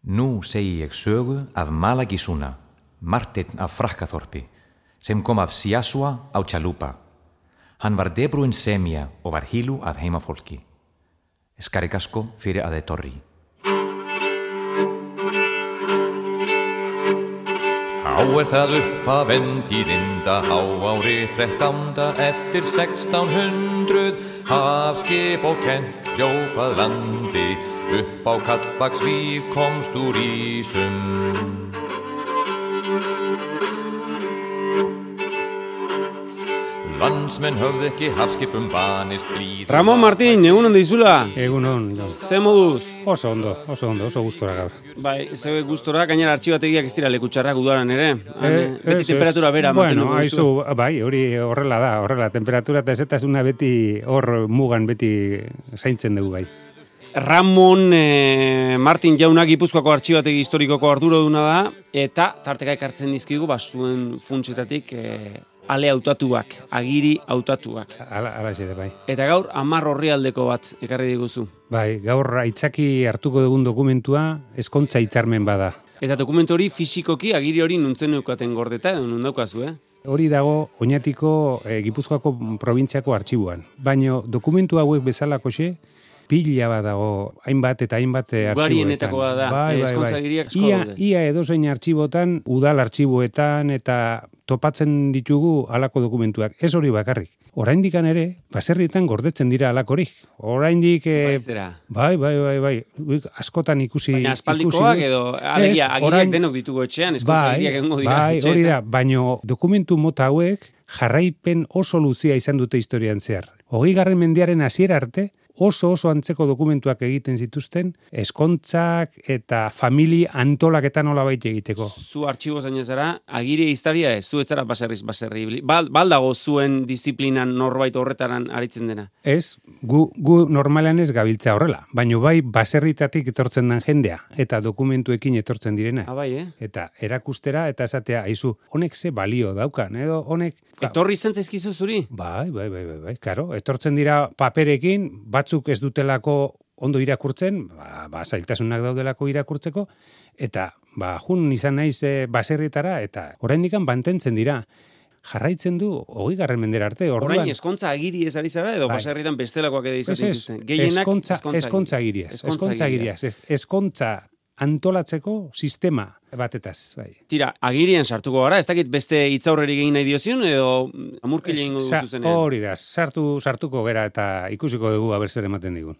Nú segi ég sögu af Malagisuna, Marteinn af Frakkaþorpi, sem kom af Siasua á Chalupa. Hann var debrúinn semja og var hílu af heimafólki. Skarigasko fyrir aðeins torri. Þá það upp af endtíðinda háári 13. eftir 1600 hafskip og kennt hljópað landi upp á Kallbaksvík komst úr ísum. Landsmenn höfðu ekki hafskipum vanist blíð. Ramón Martín, egunon dizula. Egunon. Ze moduz? Oso ondo, oso gustora gaur. Bai, ze gustora, gainera artxibategiak ez dira lekutxarrak udaran ere. Beti temperatura bera mantenuko duzu. Bueno, bai, hori horrela temperatura eta ezetasuna beti hor mugan beti zaintzen dugu bai. Ramón Martín jauna Gipuzkoako artxibategi historikoko arduraduna da, eta tarteka ekartzen dizkigu zuen funtsetatik ale hautatuak, agiri hautatuak. Ala xede, bai. Eta gaur 10 orrialdeko bat ekarri diguzu. Bai, gaur aitzaki hartuko dugun dokumentua ezkontza hitzarmen bada. Eta dokumentu hori fisikoki agiri hori nuntzen neukaten gordeta edo nun daukazu, Hori dago Oñatiko Gipuzkoako probintziako artxibuan. Baina dokumentu hauek bezalakoxe pila bat dago, hainbat artxiboetan. Ugarienetako da, ezkontza agiriak asko daude. Ia edozein artxibotan, udal artxiboetan eta topatzen ditugu halako dokumentuak. Ez hori bakarrik. Oraindikan ere, baserrietan gordetzen dira halakorik. Oraindik bai. Askotan ikusi. Baina aspaldikoak edo alegia agiriak denok ditugu etxean, ezkontza agiriak egongo dira etxean. Bai, hori da, baina dokumentu mota hauek jarraipen oso luzia izan dute historian zehar. 20. mendearen hasiera arte, oso antzeko dokumentuak egiten zituzten, ezkontzak eta familia antolaketan nolabait egiteko. Zu artxibo zain ezara, agiri historia ez, zu etzara baserri. Baldago zuen disiplinan norbait horretaran aritzen dena? Ez, gu normalean ez gabiltza horrela, baina bai baserritatik etortzen den jendea, eta dokumentuekin etortzen direna. Bai, Eta erakustera, eta esatea, aizu, honek ze balio daukan, edo honek... Etorri izan zaizkizu zuri? Bai, karo, etortzen dira paperekin, batzuk ez dutelako ondo irakurtzen, zailtasunak daudelako irakurtzeko, eta jun izan naiz baserrietara, eta oraindikan mantentzen dira. Jarraitzen du 20. mendera arte. Orain ezkontza agiri ez ari zara, edo baserrietan bestelakoak edo izaten dituzten. Gehienak ezkontza agiriaz. Ezkontza antolatzeko sistema batetaz, bai. Tira, agirien sartuko gara, ez dakit beste hitzaurrerik egin nahi diozion, edo amurkile egingo duzu zenean? Hori da, sartuko gera eta ikusiko dugu aber zer ematen digun.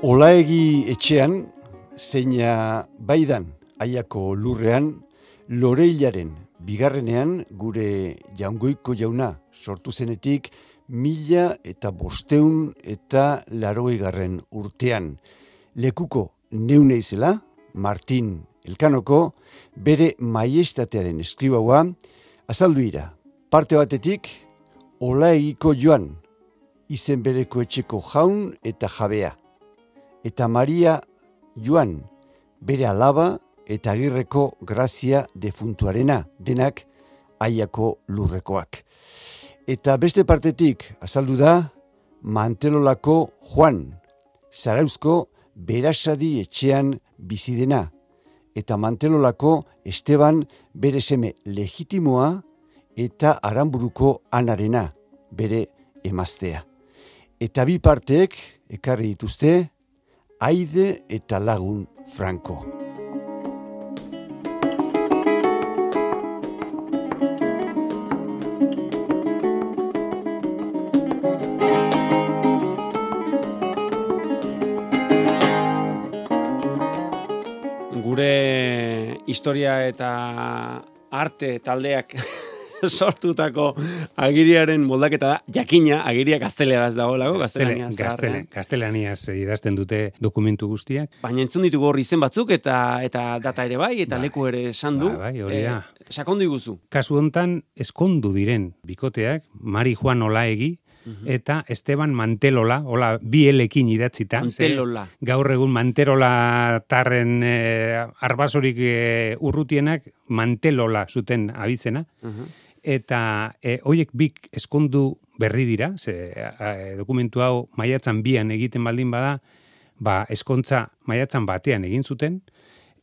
Olaegi etxean, zeina baidan Aiako lurrean, Loreilaren bigarrenean gure Jaungoiko jauna sortu zenetik 1500 eta 80. urtean. Lekuko neuneizela, Martin Elkanoko, bere maiestatearen eskribaua, azaldu ira. Parte batetik, Olaegiko Joan, izen bereko etxeko jaun eta jabea. Eta Maria Joan, bere alaba eta Agirreko Grazia defuntuarena, denak Aiako lurrekoak. Eta beste partetik, azaldu da, Mantelolako Juan, Zarauzko Berasadi etxean bizidena, eta Mantelolako Esteban bere seme legitimoa eta Aranburuko Anarena, bere emaztea. Eta bi parteek ekarri dituzte, Aide eta Lagun Franco. Gure historia eta arte taldeak sortutako agiriaren moldaketa da, jakina, agiria gazteleraz dagoelako, gaztelaniaz idazten dute dokumentu guztiak. Baina entzun ditugu hor izen batzuk, eta data ere bai, eta leku ere esan du. Bai, hori da. Sakondu iguzu. Kasu hontan, eskondu diren bikoteak, Mari Juan Olaegi, eta Esteban Mantelola, bi elekin idatzita. Mantelola. Gaur egun Manterola tarren arbasorik urrutienak Mantelola zuten abizena. Eta hoiek bik eskondu berri dira, dokumentu hau maiatzan 2an egiten baldin bada, eskontza maiatzan 1 egin zuten,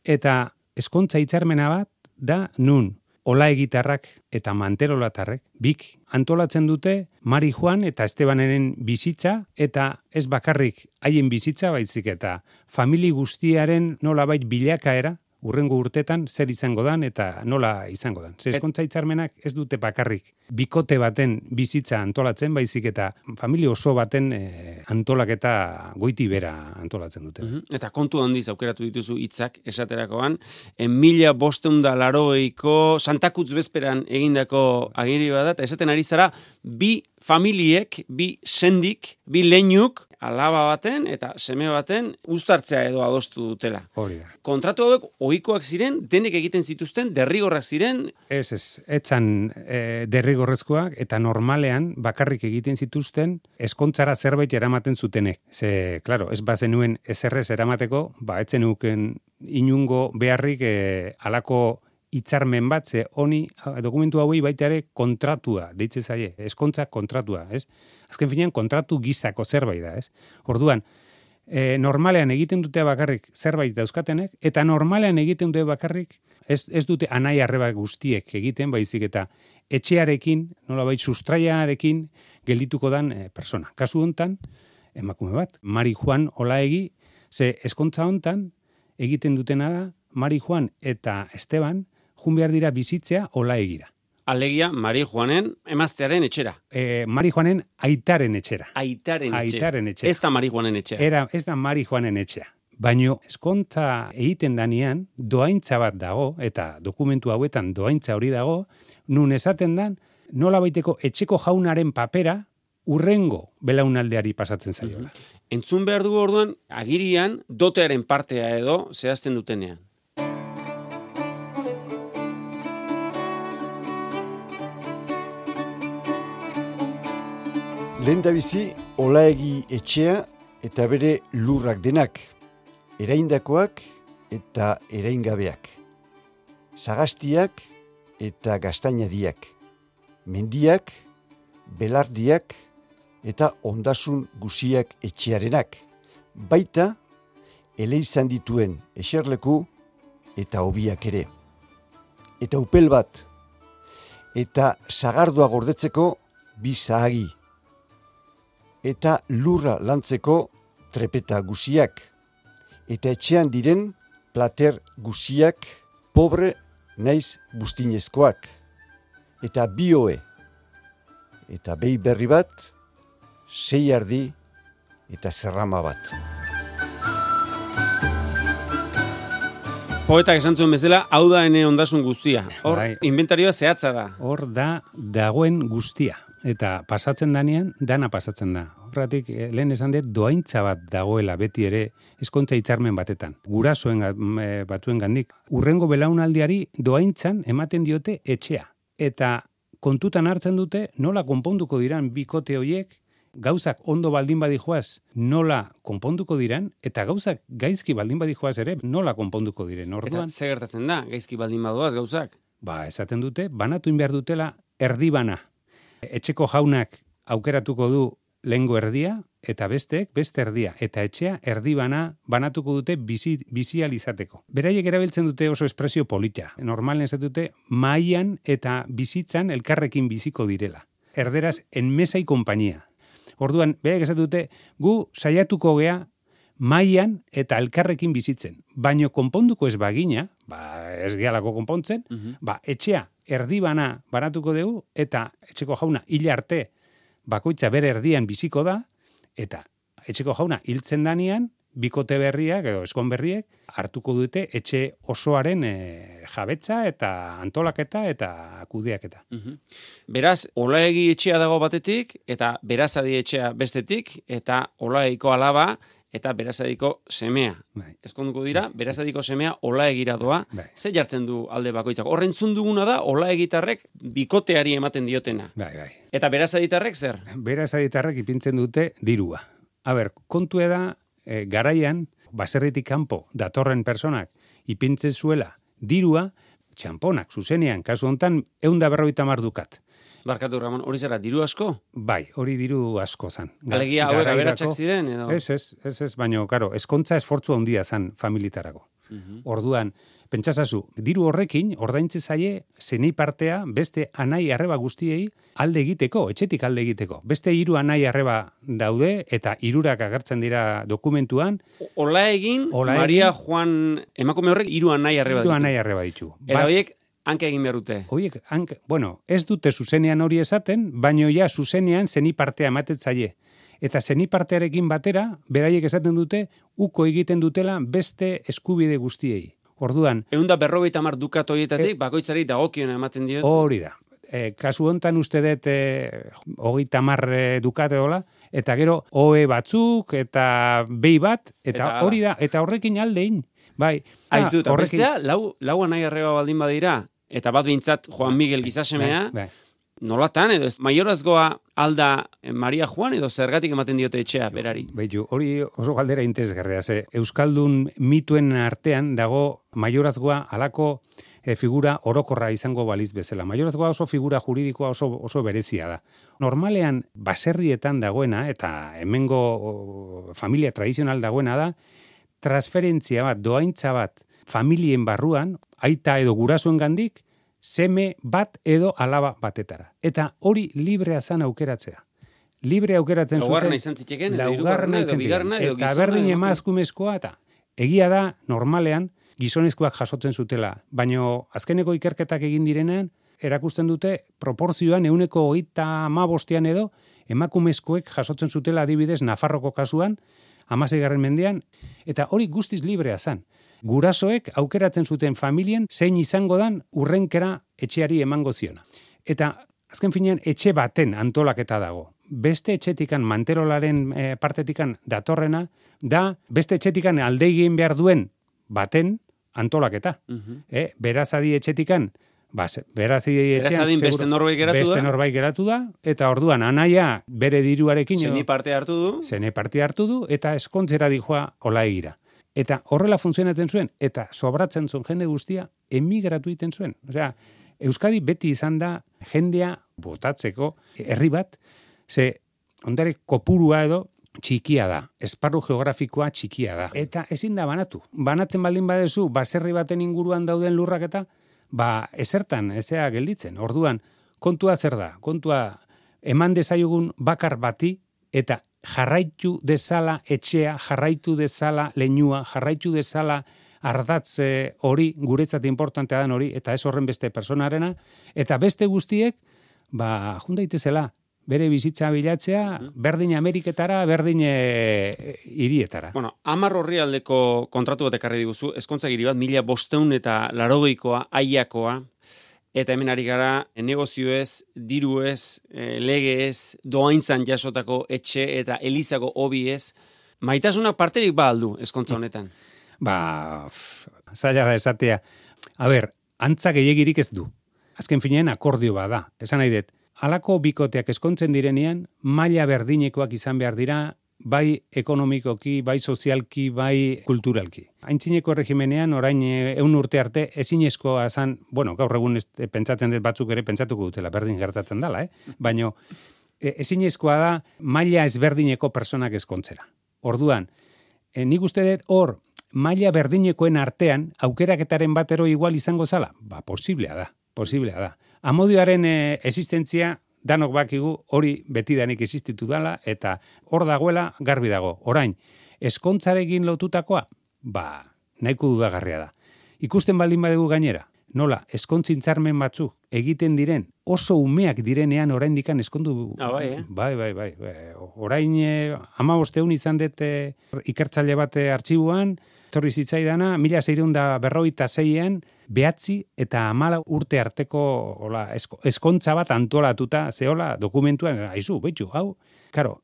eta eskontza hitzarmena bat da nun Olaegitarrak eta Manterolatarrek bik antolatzen dute Mari Juan eta Estebaneren bizitza, eta ez bakarrik haien bizitza, baizik eta famili guztiaren nolabait bilakaera, urrengo urtetan zer izango dan eta nola izango dan. Eskontza hitzarmenak ez dute bakarrik bikote baten bizitza antolatzen, baizik eta familia oso baten antolaketa goiti bera antolatzen dute. Eta kontu handiz aukeratu dituzu hitzak esaterakoan, 1580ko Santakutz bezperan egindako agiri bat, eta esaten ari zara, 2 familiek, 2 sendik, 2 leinuk, alaba baten eta seme baten uztartzea edo adostu dutela. Hori da. Kontratu hauek ohikoak ziren, denek egiten zituzten, derrigorrak ziren? Etzan derrigorrezkoak, eta normalean bakarrik egiten zituzten eskontzara zerbait eramaten zutenek. Claro, ez bazenuen eserrez eramateko, etzenuken inungo beharrik alako hitzarmen bat, honi dokumentu hauei baita ere kontratua, deitze zaie, eskontza kontratua, ez? Azken finean kontratu gizako zerbait da, ez? Orduan, normalean egiten dute bakarrik zerbait dauzkatenek, eta normalean egiten dute bakarrik, ez dute anai arreba guztiek egiten, baizik eta etxearekin, nolabait sustraiarekin geldituko dan persona. Kasu hontan, emakume bat, Mari Juan Olaegi, eskontza hontan egiten dutena da, Mari Juan eta Esteban jun behar dira bizitzea Olaegira. Alegia, Mari Juanen emaztearen etxera. Mari Juanen aitaren etxera. Aitaren etxera. Ez da Mari Juanen etxera. Ez da Mari Juanen etxera. Baino, eskontza egiten danean, doaintza bat dago, eta dokumentu hauetan doaintza hori dago, nun esaten dan, nola baiteko etxeko jaunaren papera urrengo belaunaldeari pasatzen zaiola. Entzun behar dugu orduan, agirian dotearen partea edo zehazten dutenean. Lehendabizi, Olaegi etxea eta bere lurrak denak, eraindakoak eta eraingabeak, sagaztiak eta gaztainadiak, mendiak, belardiak eta ondasun guziak etxearenak, baita eleizan dituen eserleku eta hobiak ere. Eta upel bat, eta sagardua gordetzeko 2 zahagi, eta lurra lantzeko trepeta guziak, eta etxean diren plater guziak pobre naiz bustinezkoak, eta 2 ohe, eta behi berri bat, 6 ardi eta zerrama bat. Poetak esan zuen bezala, hau da ene ondasun guztia. Hor, inventarioa zehatza da. Hor da dagoen guztia. Eta pasatzen danean, dana pasatzen da. Horratik, lehen esan dut, doaintza bat dagoela beti ere eskontza hitzarmen batetan. Gurasoen batuen gandik. Urrengo belaunaldiari doaintzan ematen diote etxea. Eta kontutan hartzen dute nola konponduko diran bikote hoiek, gauzak ondo baldin badijoaz nola konponduko diran, eta gauzak gaizki baldin badijoaz ere nola konponduko diren. Orduan, eta ze gertatzen da, gaizki baldin badoaz gauzak? Esaten dute, banatu behar dutela erdibana. Etxeko jaunak aukeratuko du lehengo erdia, eta beste erdia. Eta etxea erdibana banatuko dute bizializateko. Beraiek erabiltzen dute oso espresio polita. Normalen ez dute maian eta bizitzan elkarrekin biziko direla. Erderaz, enmesai konpainia. Orduan, beraiek ez dute, gu saiatuko gea maian eta elkarrekin bizitzen. Baino konponduko ez bagina, ez gehalako konpontzen, etxea erdibana banatuko dugu, eta etxeko jauna hil arte bakoitza bere erdian biziko da, eta etxeko jauna hiltzen danean, bikote berriak edo eskon berriek hartuko dute etxe osoaren jabetza eta antolaketa eta kudeaketa. Beraz, Olaegi etxea dago batetik, eta Berazadi etxea bestetik, eta Olaegiko alaba, eta Berazadiko semea. Ezkonduko dira, Berazadiko semea Olaegira doa. Ze jartzen du alde bakoitzak? Horrentzun duguna da, Olaegitarrek bikoteari ematen diotena. Eta Berazaditarrek zer? Berazaditarrek ipintzen dute dirua. Kontu da, garaian, baserritik kanpo datorren personak ipintzen zuela dirua, txamponak, zuzenean, kasu hontan, 150 dukat. Barkatu, Ramon, hori zera, diru asko? Bai, hori diru asko zan. Alegia, hauek aberatsak ziren, edo? Ez, baina, karo, eskontza esfortzu handia zan familitarako. Orduan, pentsasazu, diru horrekin, ordaintze zaie, zenei partea, beste anai arreba guztiei alde egiteko, etxetik alde egiteko. Beste 3 anai arreba daude, eta 3 agertzen dira dokumentuan. Ola egin, Maria Juan, emakume horrek 3 anai arreba ditu. 3 anai arreba ditu. Eta horiek, hanka egin behar dute. Horiek, ez dute zuzenean hori esaten, baino ja zuzenean zenei partea ematen zaie. Eta zenei partearekin batera, beraiek esaten dute, uko egiten dutela beste eskubide guztiei. Orduan... 150 dukat horietatik, bakoitzari dagokiona ematen diot. Hori da. Kasu hontan uste dut 30 dukat edola, eta gero OE batzuk, eta behi bat, eta hori da, eta horrekin aldein. Bai, aizu, eta bestea, lau anai arreba baldin badira, eta bat bintzat Juan Miguel gizasemea, bai. Nolatan, edo maiorazgoa alda Maria Juan, edo zergatik ematen diote etxea berari? Beitu, hori oso galdera interesgarria, Euskaldun mituen artean dago maiorazgoa alako figura orokorra izango baliz bezala. Maiorazgoa oso figura juridikoa oso berezia da. Normalean, baserrietan dagoena, eta hemengo familia tradizional dagoena da, transferentzia bat, doaintza bat, familien barruan, aita edo gurasoen gandik, seme bat edo alaba batetara. Eta hori librea zan aukeratzea. Libre aukeratzen zuten. Laugarna izan zitekeen, laugarna edo bigarna, edo eta berdin emakumezkoa, eta egia da, normalean, gizonezkoak jasotzen zutela. Baino azkeneko ikerketak egin direnean, erakusten dute, proporzioan 135 edo, emakumezkoek jasotzen zutela adibidez Nafarroko kasuan, 16. mendean, eta hori guztiz librea zan. Gurasoek aukeratzen zuten familien zein izango dan urrenkera etxeari emango ziona. Eta azken finean etxe baten antolaketa dago. Beste etxetikan manterolaren partetikan datorrena, da beste etxetikan alde egin behar duen baten antolaketa. Berazadi etxetikan, berazadin beste norbait geratu da, eta orduan anaia bere diruarekin zeni parte hartu du, eta eskontzera dijoa ola egira. Eta horrela funtzionatzen zuen, eta sobratzen zuen jende guztia, emigratu egiten zuen. Osea, Euskadi beti izan da jendea botatzeko herri bat, ze ondare kopurua edo txikia da, esparru geografikoa txikia da. Eta ezin da banatu. Banatzen baldin badezu, baserri baten inguruan dauden lurrak eta, ezertan, ezea gelditzen. Orduan, kontua zer da? Kontua eman dezaiogun bakar bati, eta jarraitu dezala etxea, jarraitu dezala leinua, jarraitu dezala ardatze hori, guretzat importantea den hori, eta ez horren beste personarena, eta beste guztiek, jundaitezela, bere bizitza bilatzea, berdin Ameriketara, berdin hirietara. Bueno, 10 orrialdeko kontratu bat ekarri diguzu, ezkontza giri bat, 1580 aiakoa, eta hemen ari gara negozioez, diruez, legeez, doaintzan jasotako etxe eta elizako hobiez. Maitasuna parterik ba aldu ezkontza honetan? Zaila da esatea. Antza gehiagirik ez du. Azken finean akordio bada. Esan nahi dut, halako bikoteak ezkontzen direnean, maila berdinekoak izan behar dira, bai ekonomikoki, bai sozialki, bai kulturalki. Aintzineko erregimenean, orain 100 urte arte, ezinezkoa zan, gaur egun pentsatzen dut batzuk ere pentsatuko dutela, berdin gertatzen dela, baina ezinezkoa da maila ezberdineko personak ezkontzera. Orduan, nik uste dut hor, maila berdinekoen artean, aukeraketaren batero igual izango zala? Posiblea da. Amodioaren existentzia, danok bakigu hori betidanik existitu dela, eta hor dagoela garbi dago. Orain, eskontzarekin lotutakoa, nahiko dudagarria da. Ikusten baldin badegu gainera, nola, eskontzintzarmen batzuk egiten diren, oso umeak direnean oraindikan eskondu. Bai. Orain 15 izan dut ikertzaile bat artxibuan, etorri zitzaidana, 1656an, 9 eta 14 urte arteko eskontza bat antolatuta, zehola dokumentuan, hau, karo,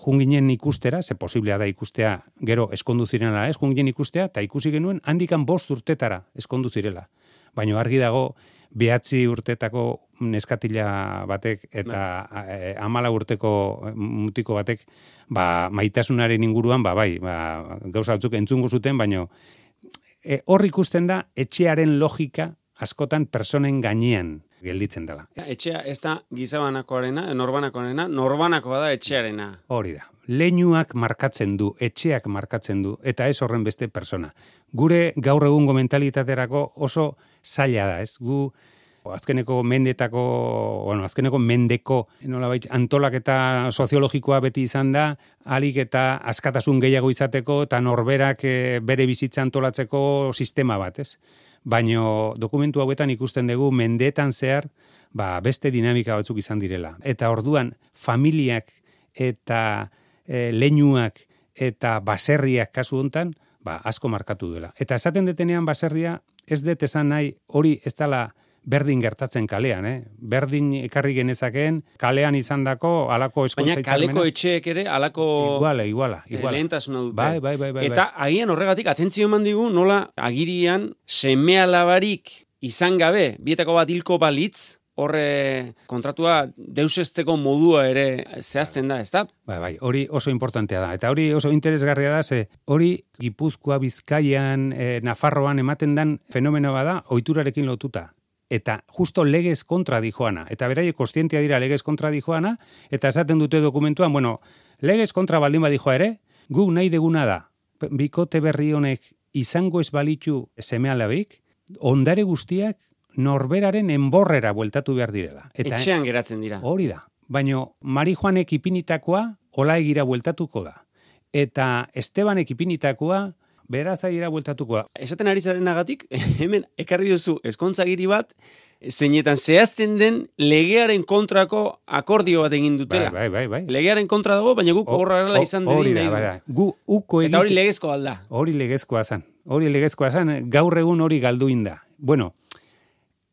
junginen ikustera, ze posiblea da ikustea, gero eskondu zirela, junginen ikustea, eta ikusi genuen, handikan 5 urtetara eskondu zirela. Baina argi dago, 9 urtetako neskatila batek eta 14 urteko mutiko batek maitasunaren inguruan, gauza batzuk entzungo zuten, baina hor ikusten da etxearen logika askotan personen gainean gelditzen dela. Etxea ez da gizabanakoarena, norbanakoa da etxearena. Hori da. Leinuak markatzen du, etxeak markatzen du, eta ez horren beste persona. Gure gaur egungo mentalitaterako oso zaila da, ez? Azkeneko mendeko nolabait antolaketa soziologikoa beti izan da, ahalik eta askatasun gehiago izateko eta norberak bere bizitza antolatzeko sistema bat, ez? Baino dokumentu hauetan ikusten dugu mendeetan zehar beste dinamika batzuk izan direla. Eta orduan familiak eta leinuak eta baserriak kasu hontan asko markatu duela. Eta esaten detenean baserria ez dut esan nahi hori ez dela berdin gertatzen kalean, Berdin ekarri genezakeen kalean izandako halako eskontza hitzarmena. Baina kaleko etxeek ere halako iguala. Lehentasuna dute. Bai. Eta agian horregatik atentzio eman digu nola agirian seme-alabarik izan gabe, bietako bat hilko balitz, horre kontratua deusesteko modua ere zehazten da, ezta? Bai, hori oso importantea da. Eta hori oso interesgarria da, ze hori Gipuzkoa, Bizkaian, Nafarroan ematen den fenomeno bada ohiturarekin lotuta. Eta justo legez kontra dijoana. Eta beraiek kontzientia dira legez kontra dijoana, eta esaten dute dokumentuan, legez kontra baldin badijoa ere, guk nahi deguna da, bikote berri honek izango ez balitu seme-alabik, ondare guztiak norberaren enborrera bueltatu behar direla. Eta etxean geratzen dira. Hori da. Baina Marijoanek ipinitakoa olaegira bueltatuko da. Eta Estebanek ipinitakoa berazaira bueltatuko da. Esaten ari zarenagatik, hemen ekarri duzu ezkontzagiri bat, zeinetan zehazten den legearen kontrako akordio bat egin dutela. Bai. Legearen kontra dago, baina guk horrela izan dedin nahi du. Eta hori legezkoa alda. Hori legezkoa zan. Gaur egun hori galduin da. Bueno,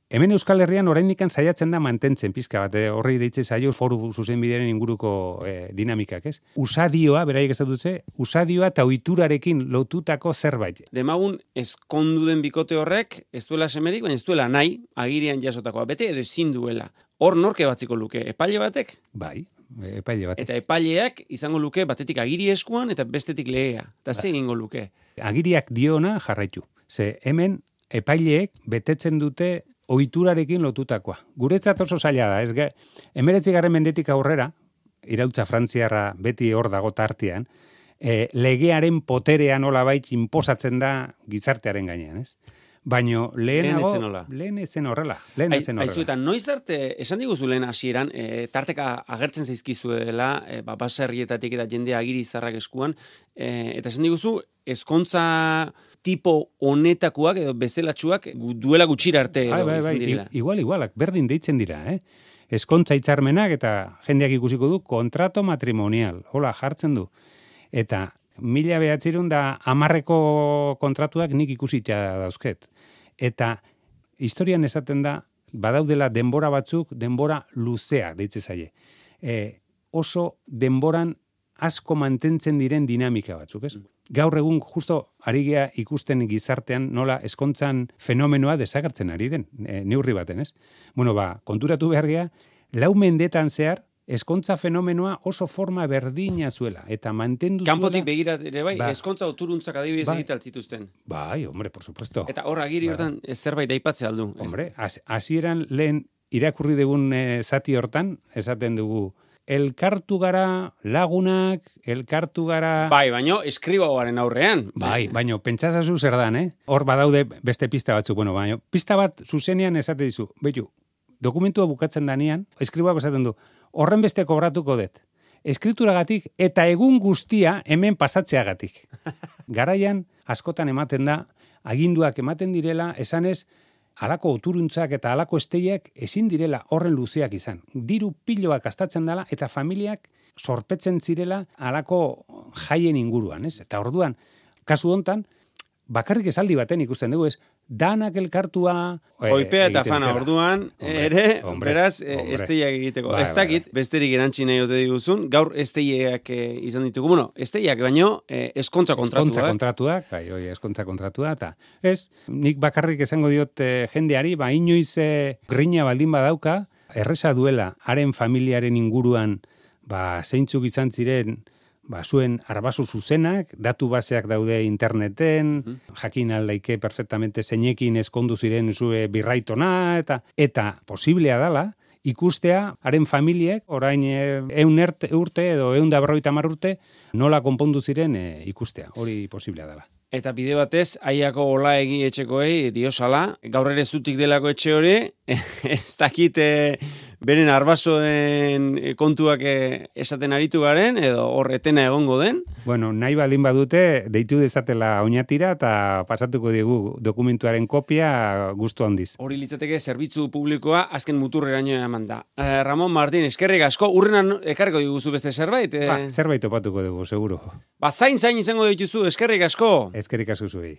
hemen Euskal Herrian oraindikan saiatzen da mantentzen pizka bat, horri deitzen zaio foru zuzenbidearen inguruko dinamikak, ez? Usadioa, beraiek ez dutze, usadioa eta ohiturarekin lotutako zerbait. Demagun ezkondu den bikote horrek, ez duela semerik, baina ez duela nahi, agirian jasotakoa, bete edo ezin duela. Hor norke batziko luke, epaile batek? Bai, epaile batek. Eta epaileak izango luke batetik agiri eskuan eta bestetik legea. Eta ze egingo luke? Agiriak diona jarraitu. Ze hemen epaileek betetzen dute ohiturarekin lotutakoa. Guretzat oso zaila da, ez 19. mendetik aurrera, irautza frantziarra beti hor dago tartean, legearen poterea nolabait inposatzen da gizartearen gainean, ez? Baino lehen ezen horrela. Aizu, eta noiz arte, esan diguzu lehen hasieran, tarteka agertzen zaizkizuela, baserrietatik eta jende agiri zarrak eskuan, eta esan diguzu, ezkontza tipo honetakoak edo bezelatxuak duela gutxira arte izan direla. Igualak, berdin deitzen dira, Ezkontza hitzarmenak eta jendeak ikusiko du kontrato matrimonial, hola jartzen du. Eta 1910 kontratuak nik ikusita dauzket. Eta historian esaten da, badaudela denbora batzuk, denbora luzea deitze zaie. Oso denboran asko mantentzen diren dinamika batzuk, ez? Gaur egun justo ari gea ikusten gizartean nola ezkontzan fenomenoa desagertzen ari den, neurri baten, ez? Konturatu behar gea, 4 mendetan zehar, ezkontza fenomenoa oso forma berdina zuela, eta mantendu zuela... Kanpotik begirat ere ezkontza oturuntzak adibidez egite altzituzten. Bai, hombre, por supuesto. Eta hor agiri hortan zerbait aipatze aldu. Hombre, hasieran lehen irakurri dugun zati hortan, esaten dugu, elkartu gara lagunak, elkartu gara... Bai, baino eskribagoaren aurrean. Bai, baino pentsasazu zer dan, Hor badaude beste pista batzuk, baino pista bat zuzenean esate dizu, betu, dokumentua bukatzen danean, eskribago esaten du, horren beste kobratuko dut. Eskrituragatik eta egun guztia hemen pasatzeagatik. Garaian askotan ematen da, aginduak ematen direla, esanez, halako oturuntzak eta halako esteiak ezin direla horren luzeak izan. Diru piloak gastatzen dela eta familiak sorpetzen zirela halako jaien inguruan, ez? Eta orduan, kasu hontan, bakarrik esaldi baten ikusten dugu, ez? Danak elkartua... Oipea eta fana orduan, beraz, esteiak egiteko. Ez dakit, besterik erantzi nahi ote diguzun, gaur esteiak izan ditugu. Bueno, esteiak baino, eskontza kontratuak. Eskontza kontratua, eta ez, nik bakarrik esango diot jendeari, inoiz grina baldin badauka, erresa duela, haren familiaren inguruan, zeintzuk izan ziren, zuen arbaso zuzenak, datu baseak daude interneten, jakin aldaike perfectamente zeinekin eskondu ziren zue birraitona, eta posiblea dala, ikustea, haren familiek, orain 100 urte edo 150 urte, nola konpondu ziren ikustea. Hori posiblea dela. Eta bide batez, aiako olaegi etxekoei diosala, gaur ere zutik delako etxe hori, ez dakit beren arbasoen kontuak esaten aritu garen, edo horretena egongo den. Bueno, nahi baldin badute, deitu dezatela oinatira eta pasatuko digu dokumentuaren kopia gustu handiz. Hori litzateke zerbitzu publikoa azken muturreraino eman da. Ramon Martin, eskerrik asko, urrenan ekarriko diguzu beste zerbait? Zerbait topatuko dugu, seguro. Zain izango dituzu, eskerrik asko. Eskerrik asko zuei.